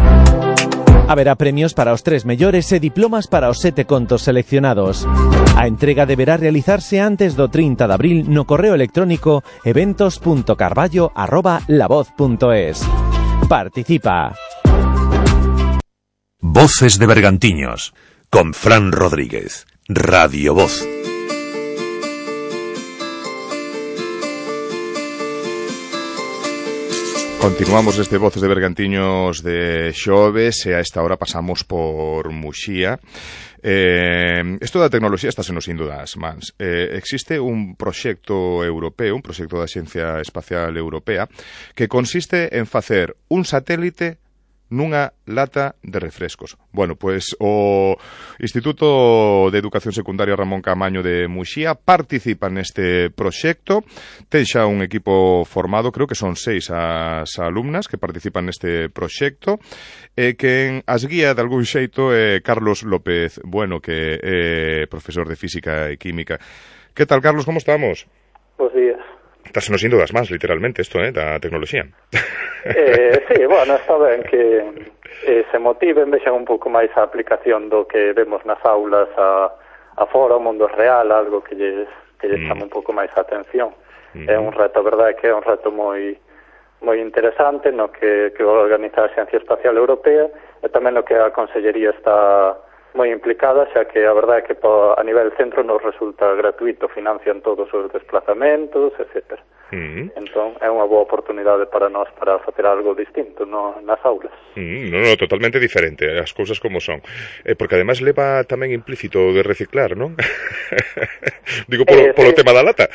Haberá premios para os 3 mellores e diplomas para os 7 contos seleccionados. A entrega deberá realizarse antes do 30 de abril no correo electrónico eventos.carballo@lavoz.es. Participa.
Voces de Bergantiños, con Fran Rodríguez, Radio Voz.
Continuamos este Voces de Bergantiños de xoves e a esta hora pasamos por Muxía. Isto da tecnoloxía está nos indo das mans. Existe un proxecto europeo, un proxecto da Axencia Espacial Europea, que consiste en facer un satélite nunha lata de refrescos. Bueno, pois o Instituto de Educación Secundaria Ramón Camaño de Muxía participa neste proxecto. Ten xa un equipo formado, creo que son 6 as alumnas que participan neste proxecto, e que as guía de algún xeito é Carlos López Bueno, que é profesor de Física e Química. Que tal, Carlos, como estamos?
Bos días.
Estás nos indo das mans, literalmente, isto, da tecnoloxía.
Sí, bueno, está ben que se motiven, vexan un pouco máis a aplicación do que vemos nas aulas a fora, o mundo real, algo que lles chama un pouco máis a atención. É un reto, a verdade, que é un reto moi interesante no que organiza a Axencia Espacial Europea e tamén no que a Consellería está moi implicada, xa que a verdade é que a nivel centro nos resulta gratuito, financian todos os desplazamentos, etc. Entón, é unha boa oportunidade para nós para facer algo distinto nas aulas.
No, totalmente diferente, as cousas como son. Porque ademais leva tamén implícito de reciclar, non? Digo, polo tema da lata.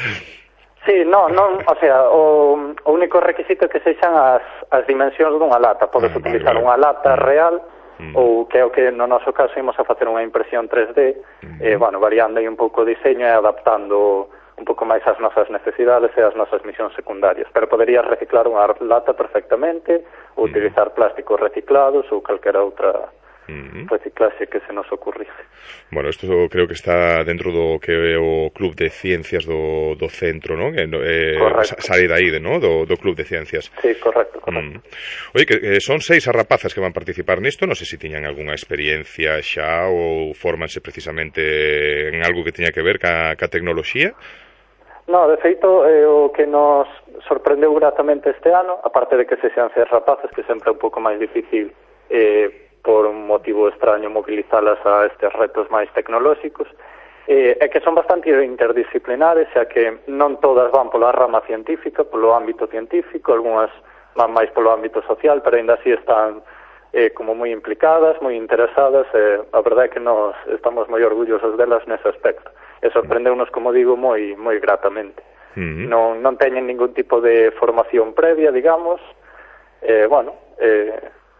Sí, non, o sea, o único requisito é que sexan as dimensións dunha lata. Podes utilizar unha lata real, ou que é o que no noso caso imos a facer unha impresión 3D, variando aí un pouco o diseño e adaptando un pouco máis as nosas necesidades e as nosas misións secundarias. Pero poderías reciclar unha lata perfectamente, ou utilizar plásticos reciclados ou calquera outra reciclaxe que se nos ocurrice.
Bueno, isto creo que está dentro do que é o Club de Ciencias do centro, non? Sale dai, do Club de Ciencias.
Sí, correcto.
Oye, que son 6 as rapazas que van participar nisto, non sei se tiñan algunha experiencia xa ou fórmanse precisamente en algo que teña que ver ca tecnoloxía.
No, de feito, o que nos sorprendeu gratamente este ano, aparte de que se sean 6 rapazas, que sempre é un pouco máis difícil por un motivo extraño movilizalas a estes retos máis tecnolóxicos, é que son bastante interdisciplinares, xa que non todas van pola rama científica, polo ámbito científico, algunhas van máis polo ámbito social, pero ainda así están como moi implicadas, moi interesadas, a verdade é que nós estamos moi orgullosos delas nese aspecto, e sorprendeunos, como digo, moi gratamente. Non teñen ningún tipo de formación previa, digamos,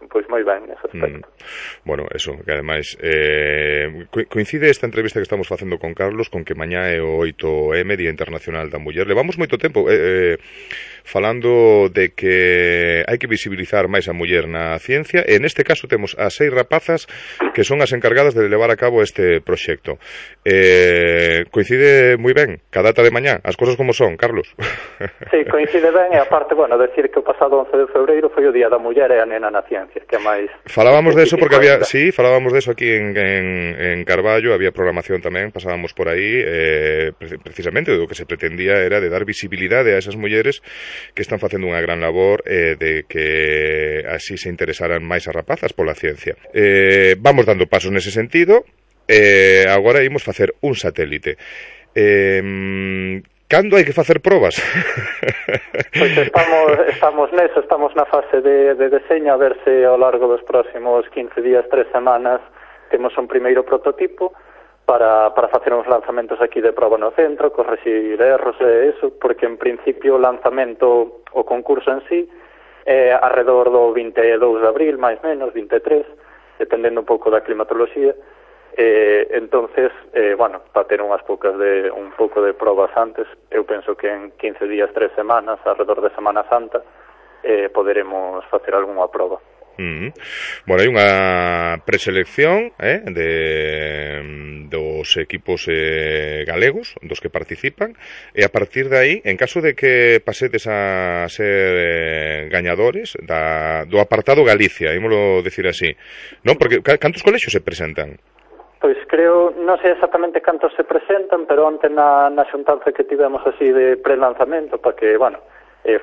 moi ben nese aspecto.
Bueno, eso, que ademais coincide esta entrevista que estamos facendo con Carlos con que mañá é o 8M, Día Internacional da Muller. Levamos moito tempo falando de que hai que visibilizar máis a muller na ciencia, e neste caso temos as 6 rapazas que son as encargadas de levar a cabo este proxecto. Coincide moi ben ca data de mañá, as cosas como son, Carlos.
Sí, coincide ben, e aparte, bueno, decir que o pasado 11 de febreiro foi o Día da Muller e a Nena na Ciencia, que é máis...
Falábamos de eso porque había, sí, falábamos de eso aquí en Carballo, había programación tamén, pasábamos por aí, precisamente o que se pretendía era de dar visibilidade a esas mulleres que están facendo unha gran labor, de que así se interesaran máis as rapazas pola ciencia. Vamos dando pasos nese sentido, agora imos facer un satélite. Cando hai que facer probas?
Pois estamos neso, estamos na fase de deseño, a ver se ao largo dos próximos 15 días, 3 semanas, temos un primeiro prototipo para facer uns lanzamentos aquí de proba no centro, corregir erros e eso, porque en principio o lanzamento, o concurso en sí, é arredor do 22 de abril, máis menos, 23, dependendo un pouco da climatoloxía. Entonces, bueno, para ter un pouco de probas antes, eu penso que en 15 días, 3 semanas, arredor de Semana Santa, poderemos facer algunha proba.
Bueno, hai unha preselección dos equipos galegos dos que participan, e a partir de aí, en caso de que pasedes a ser gañadores do apartado Galicia, ímolo decir así, non? Porque cantos colexios se presentan?
Pois creo, non sei exactamente cantos se presentan, pero onte na xuntanza que tivemos así de prelanzamento, para que, bueno,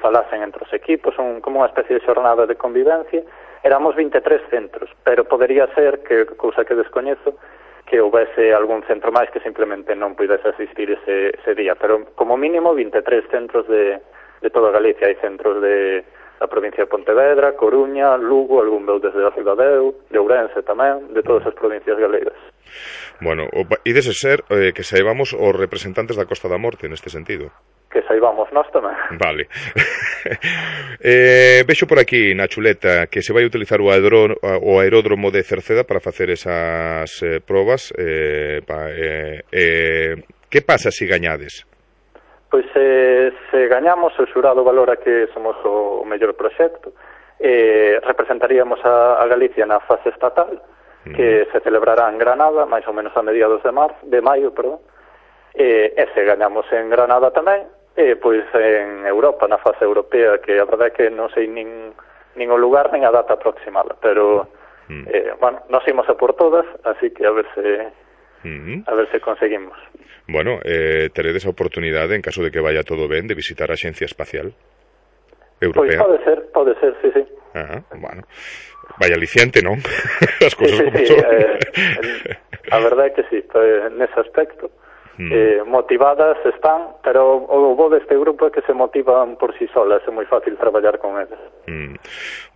falasen entre os equipos, como unha especie de xornada de convivencia, éramos 23 centros, pero podería ser, que cousa que descoñezo, que houvese algún centro máis que simplemente non pudese asistir ese día, pero como mínimo 23 centros de toda Galicia. Hai centros da provincia de Pontevedra, Coruña, Lugo, algún veu desde a Ribadeo, de Ourense tamén, de todas as provincias galegas.
Bueno, e dese ser que saibamos os representantes da Costa da Morte neste sentido.
Que saibamos nós tamén.
Vale. Vexo por aquí na chuleta que se vai utilizar o aeródromo de Cerceda para facer esas probas. Que pasa se gañades?
Pois se gañamos, o xurado valora que somos o mellor proxecto, representaríamos a Galicia na fase estatal, que se celebrará en Granada, máis ou menos a mediados de maio, e se gañamos en Granada tamén, pois en Europa, na fase europea, que a verdade é que non sei nin o lugar nin a data aproximada, pero bueno, nos imos a por todas, así que a ver se conseguimos.
Bueno, teredes a oportunidade, en caso de que vaya todo ben, de visitar a Axencia Espacial Europea.
Pois pode ser, sí.
Bueno, vaya aliciante, non? As cousas como son.
A verdade é que sí, nese aspecto. Motivadas están, pero o bo deste grupo é que se motivan por si solas, é moi fácil traballar con eles.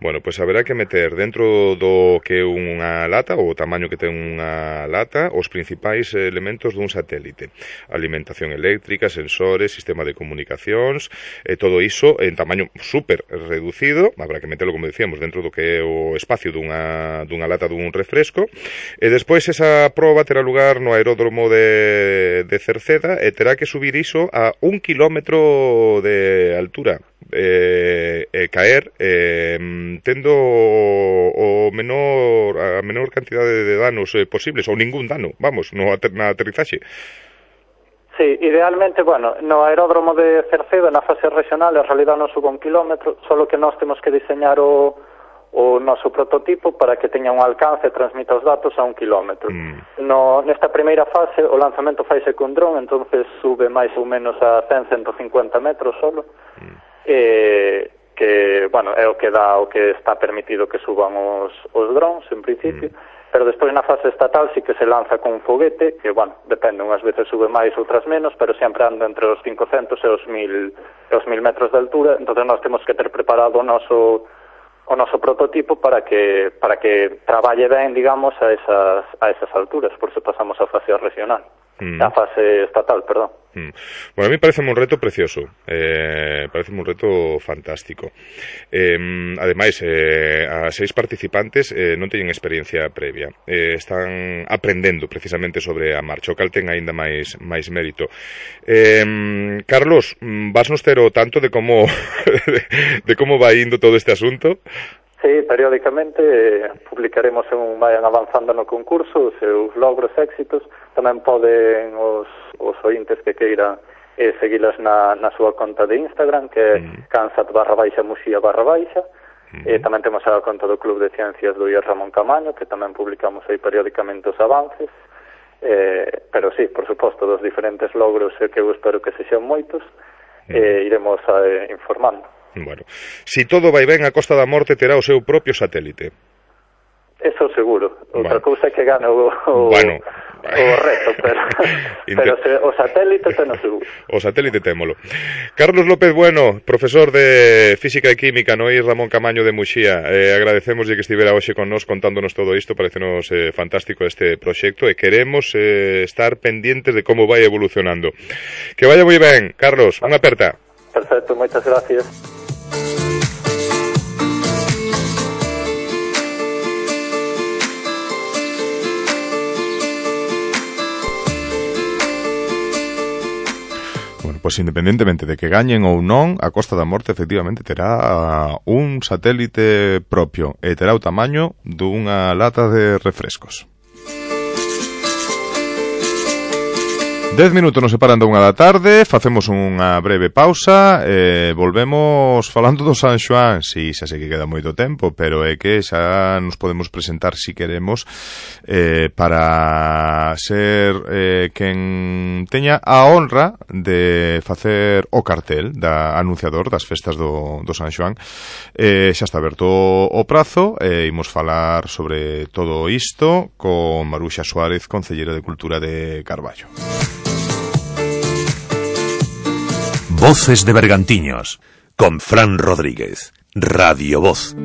Bueno, pois haberá que meter dentro do que é unha lata, o tamaño que ten unha lata, os principais elementos dun satélite: alimentación eléctrica, sensores, sistema de comunicacións, todo iso en tamaño super reducido. Habrá que meterlo, como decíamos, dentro do que é o espacio dunha lata dun refresco, e despois esa proba terá lugar no aeródromo de Cerceda, e terá que subir iso a 1 kilómetro de altura, caer tendo a menor cantidade de danos posibles, ou ningún dano, vamos, na aterrizaxe.
Sí, idealmente, bueno, no aeródromo de Cerceda, na fase regional, en realidad non suba 1 kilómetro, solo que nós temos que diseñar o noso prototipo para que teña un alcance e transmita os datos a 1 kilómetro. Nesta primeira fase, o lanzamento faise con dron, entonces sube máis ou menos a 100-150 metros solo, que, bueno, é o que está permitido que suban os drones, en principio, pero despois na fase estatal sí que se lanza con un foguete, que, bueno, depende, unhas veces sube máis, outras menos, pero sempre anda entre os 500 e os 1000 metros de altura, entonces nós temos que ter preparado o noso prototipo para que traballe ben, digamos, a esas alturas, por se pasamos a fase regional. a fase estatal, perdón.
Bueno, a mí parece un reto precioso, parece un reto fantástico. Ademais, as 6 participantes non teñen experiencia previa, están aprendendo precisamente sobre a marcha, o cal ten aínda máis mérito. Carlos, vasnos ter o tanto de como de como vai indo todo este asunto?
Sí, periódicamente publicaremos según vayan avanzando no concurso os seus logros, éxitos. Tamén poden os ointes que queiran seguilas na súa conta de Instagram, que é cansat_muxía_. Tamén temos a conta do Club de Ciencias do IES Ramón Camaño, que tamén publicamos aí periódicamente os avances. Pero sí, por suposto, dos diferentes logros que eu espero que sexan moitos, iremos informando.
Bueno, si todo vai ben, a Costa da Morte terá o seu propio satélite.
Eso seguro. Outra cousa é que gane o reto, pero o satélite teno seguro.
O satélite témolo. Carlos López Bueno, profesor de Física e Química no IES Ramón Camaño de Muxía, agradecemos que estivera hoxe con nós contándonos todo isto, parecenos fantástico este proxecto e queremos estar pendientes de como vai evolucionando. Que vaya moi ben, Carlos, unha aperta.
Perfecto, moitas gracias.
Bueno, pues independentemente de que gañen ou non, a Costa da Morte efectivamente terá un satélite propio e terá o tamaño dunha lata de refrescos. 10 minutos nos separan da 1 da tarde, facemos unha breve pausa e volvemos falando do San Xoán. Si, xa sei que queda moito tempo, pero é que xa nos podemos presentar si queremos para ser quen teña a honra de facer o cartel da anunciador das festas do San Xoán. Xa está aberto o prazo e imos falar sobre todo isto con Maruxa Suárez, concelleira de Cultura de Carballo.
Voces de Bergantiños, con Fran Rodríguez, Radio Voz.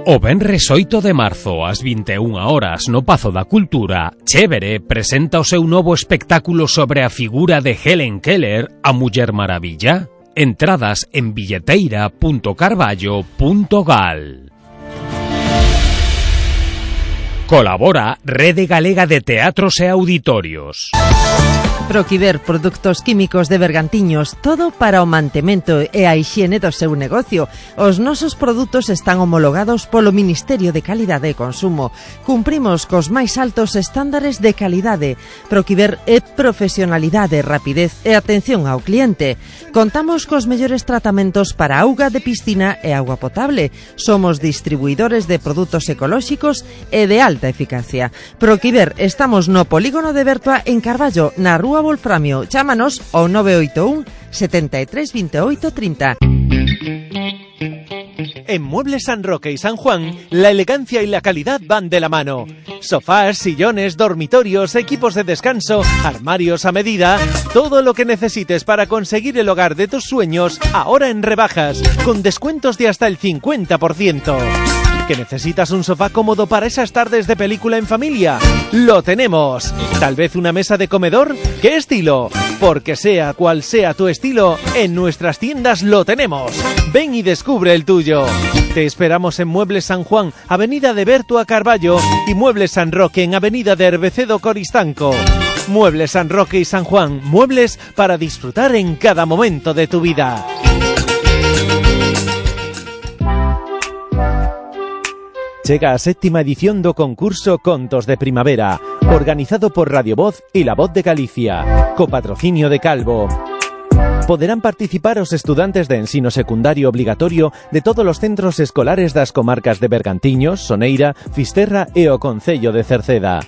O venres 8 de marzo, ás 21 horas, no Pazo da Cultura, Chévere presenta o seu novo espectáculo sobre a figura de Helen Keller, a Muller Maravilla. Entradas en billeteira.carballo.gal. Colabora Rede Galega de Teatros e Auditorios.
Proquiver Produtos Químicos de Bergantiños, todo para o mantemento e a hixiene do seu negocio. Os nosos produtos están homologados polo Ministerio de Calidade e Consumo. Cumprimos cos máis altos estándares de calidade. Proquiver é profesionalidade, rapidez e atención ao cliente. Contamos cos mellores tratamentos para auga de piscina e auga potable. Somos distribuidores de produtos ecolóxicos e de alta eficacia. Proquiver, estamos no Polígono de Bertoa en Carballo, na Rúa Wolframio. Chámanos ao 981 73 28 30.
En Muebles San Roque y San Juan, la elegancia y la calidad van de la mano. Sofás, sillones, dormitorios, equipos de descanso, armarios a medida, todo lo que necesites para conseguir el hogar de tus sueños, ahora en rebajas, con descuentos de hasta el 50%. ¿Que necesitas un sofá cómodo para esas tardes de película en familia? ¡Lo tenemos! ¿Tal vez una mesa de comedor? ¿Qué estilo? Porque sea cual sea tu estilo, en nuestras tiendas lo tenemos. Ven y descubre el tuyo. Te esperamos en Muebles San Juan, Avenida de Berto a Carballo, y Muebles San Roque en Avenida de Herbecedo Coristanco. Muebles San Roque y San Juan, muebles para disfrutar en cada momento de tu vida. Chega a 7ª edición do concurso Contos de Primavera, organizado por Radio Voz e La Voz de Galicia, co patrocinio de Calvo. Poderán participar os estudantes de ensino secundario obligatorio de todos os centros escolares das comarcas de Bergantiños, Soneira, Fisterra e o Concello de Cerceda.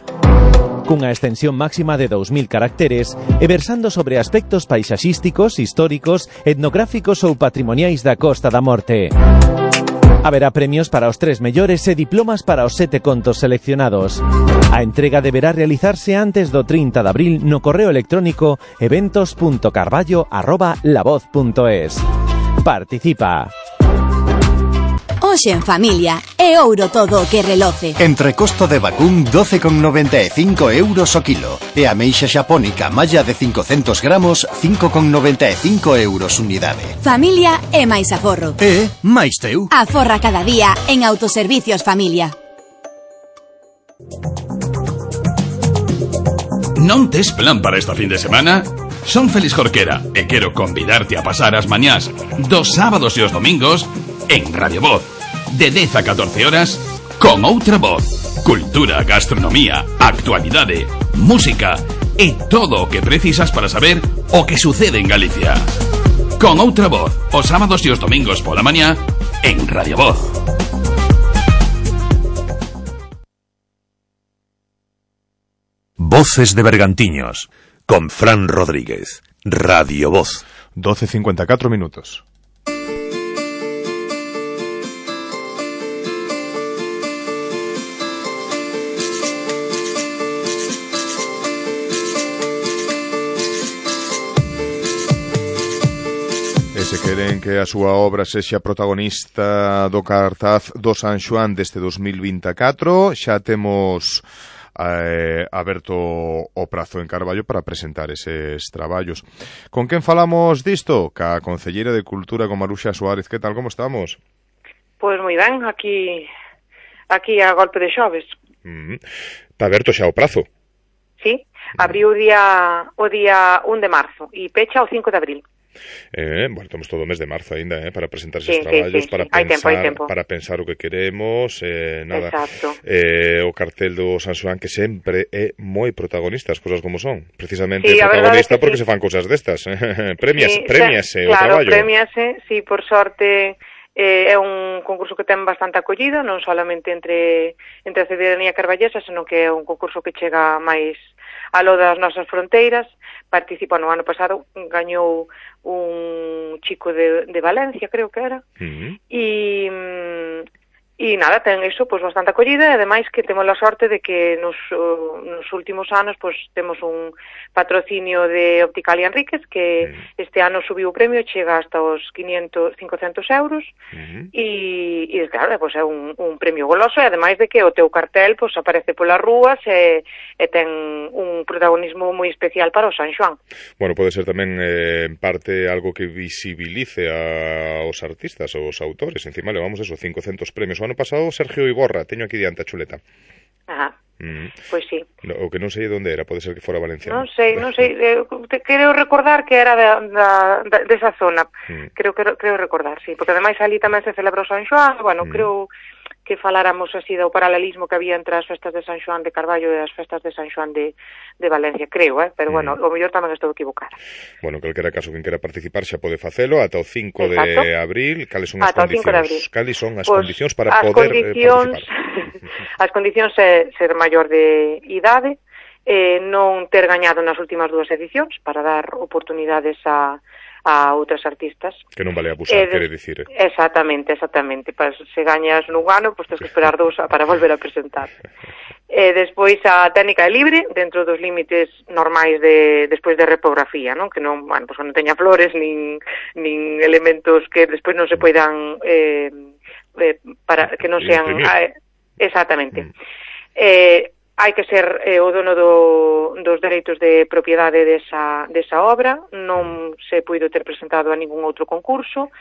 Cunha extensión máxima de 2000 caracteres e versando sobre aspectos paisaxísticos, históricos, etnográficos ou patrimoniais da Costa da Morte. Haberá premios para os 3 mellores e diplomas para os 7 contos seleccionados. A entrega deberá realizarse antes do 30 de abril no correo electrónico eventos.carballo@lavoz.es. Participa.
Hoxe en familia, é ouro todo o que reloce.
Entrecosto de vacún 12,95 euros o kilo. E ameixa xapónica malla de 500 gramos 5,95 euros unidade.
Familia é máis aforro.
E máis teu.
Aforra cada día en Autoservicios Familia.
Non tes plan para esta fin de semana? Son Félix Jorquera e quero convidarte a pasar as mañás dos sábados e os domingos en Radio Voz, de 10 a 14 horas, con outra voz. Cultura, gastronomía, actualidade, música e todo o que precisas para saber o que sucede en Galicia. Con outra voz, os sábados e os domingos pola mañá en Radio Voz.
Voces de Bergantiños, con Fran Rodríguez. Radio Voz.
12:54 minutos. E se queren que a súa obra sexa protagonista do cartaz do San Xoán deste 2024, xa temos aberto o prazo en Carballo para presentar eses traballos. Con quen falamos disto? Ca concelleira de Cultura, con Maruxa Suárez. Que tal, como estamos?
Pois moi ben, aquí a golpe de xoves.
Está aberto xa o prazo?
Sí, abriu o día 1 de marzo e pecha o 5 de abril.
Bueno, temos todo o mes de marzo ainda, para presentar esos traballos, para pensar, para pensar o que queremos, nada.
Exacto.
O cartel do San Xoán, que sempre é moi protagonista, as cousas como son. Precisamente protagonista porque se fan cousas destas. Premiase o traballo.
Claro, premiase, sí, por sorte. É un concurso que ten bastante acollida, non solamente entre a cidadanía carballesa, senón que é un concurso que chega máis aló das nosas fronteiras. Participa no ano pasado, gañou un chico de Valencia, creo que era, e nada, ten iso pois bastante acollida, e ademais que temos a sorte de que nos últimos anos pois temos un patrocinio de Opticalia Enríquez, que este ano subiu o premio, chega hasta os 500 euros, e claro, pois é un premio goloso, e ademais de que o teu cartel pois aparece polas rúas e ten un protagonismo moi especial para o San Xoán.
Bueno, pode ser tamén en parte algo que visibilice aos artistas, aos autores. Encima levamos eso, 500 premios. O ano pasado Sergio Iborra, teño aquí diante a chuleta.
Ajá. Pois sí.
O que non sei onde era, pode ser que fora valenciano.
Non sei, quero recordar que era desa zona. Creo recordar, sí, porque ademais ali tamén se celebra o San Xoán, bueno, creo que faláramos así do paralelismo que había entre as festas de San Xoán de Carballo e as festas de San Xoán de Valencia, creo, pero bueno, o mellor tamén estou equivocada.
Bueno, calquera caso, quen quera participar xa pode facelo ata o 5 de abril. Cales son as condicións? Cales son as condicións para poder participar?
As condicións é ser maior de idade, non ter gañado nas últimas 2 edicións para dar oportunidades a outras artistas.
Que non vale abusar, quere dicir.
Exactamente. Se gañas nun ano, pois tens que esperar 2 para volver a presentar. Despois a técnica é libre, dentro dos límites normais despois de repografía, non? Que non, bueno, pois non teña flores, nin elementos que despois non se poidan para que non sean exactamente. Hai que ser o dono dos dereitos de propiedade desa obra, non se puido ter presentado a ningún outro concurso,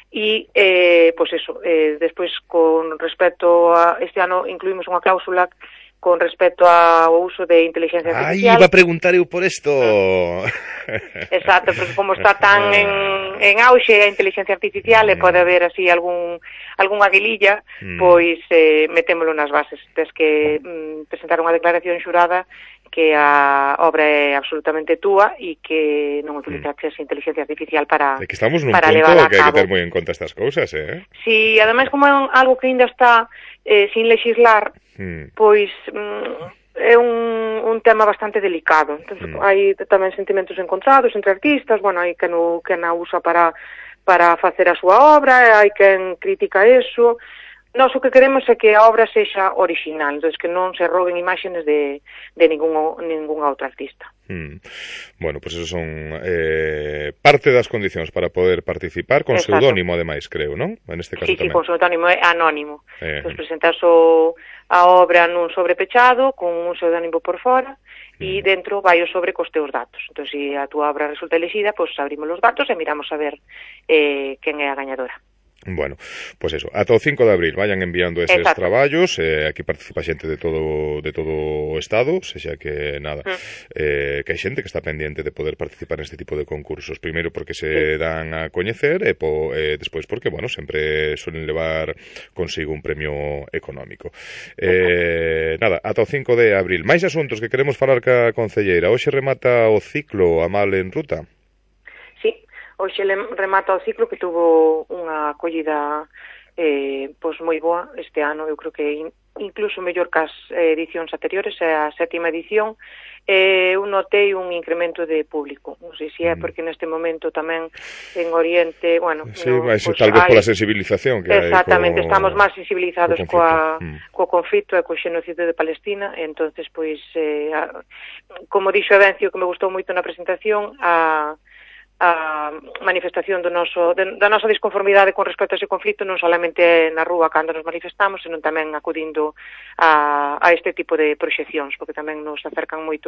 e, pois eso, despois, con respecto a este ano, incluímos unha cláusula con respecto ao uso de inteligencia artificial.
Iba a preguntar eu por isto.
Exacto, porque como está tan en auxe a inteligencia artificial e pode haber así algunha guililla, pois metémolo nas bases. Tens que presentar unha declaración xurada que a obra é absolutamente túa e que non utilizaches inteligencia artificial para levar a cabo.
É que estamos nun punto que hai que ter moi en conta estas cousas,
Si, ademais, como é algo que ainda está sin legislar, pois é un tema bastante delicado. Entón, hai tamén sentimentos encontrados entre artistas, bueno, hai quen a usa para facer a súa obra, hai quen critica eso, Nós o que queremos é que a obra sexa original, entón que non se roben imágenes de ningún outro artista.
Bueno, pues eso son parte das condicións para poder participar, con pseudónimo ademais, creo, non? En este caso
sí,
tamén.
Sí, con pseudónimo anónimo. Entón presentas a obra nun sobrepechado, con un pseudónimo por fora, e dentro vai o sobre cos teus datos. Entón, se a túa obra resulta elixida, pois abrimos os datos e miramos a ver quen é a gañadora.
Bueno, pues eso, ata o 5 de abril vayan enviando eses traballos, aquí participa xente de todo o estado, sexa que nada, que hai xente que está pendiente de poder participar neste tipo de concursos, primeiro porque se dan a coñecer e despois porque, bueno, sempre suelen levar consigo un premio económico. Nada, ata o 5 de abril. Máis asuntos que queremos falar ca concelleira. Hoxe remata o ciclo Amal en Ruta.
Hoxe remata o ciclo que tuvo unha acollida pois moi boa este ano, eu creo que incluso mellor que as edicións anteriores, é a 7ª edición. Eu notei un incremento de público, non sei se é porque neste momento tamén en Oriente, bueno,
sí, tal vez pola sensibilización que hai.
Exactamente, estamos máis sensibilizados co conflito e co xenocidio de Palestina, e entonces pois como dixo Evencio, que me gustou moito na presentación, a manifestación da nosa disconformidade con respecto a ese conflito non solamente na rúa cando nos manifestamos, senón tamén acudindo a este tipo de proxeccións, porque tamén nos acercan moito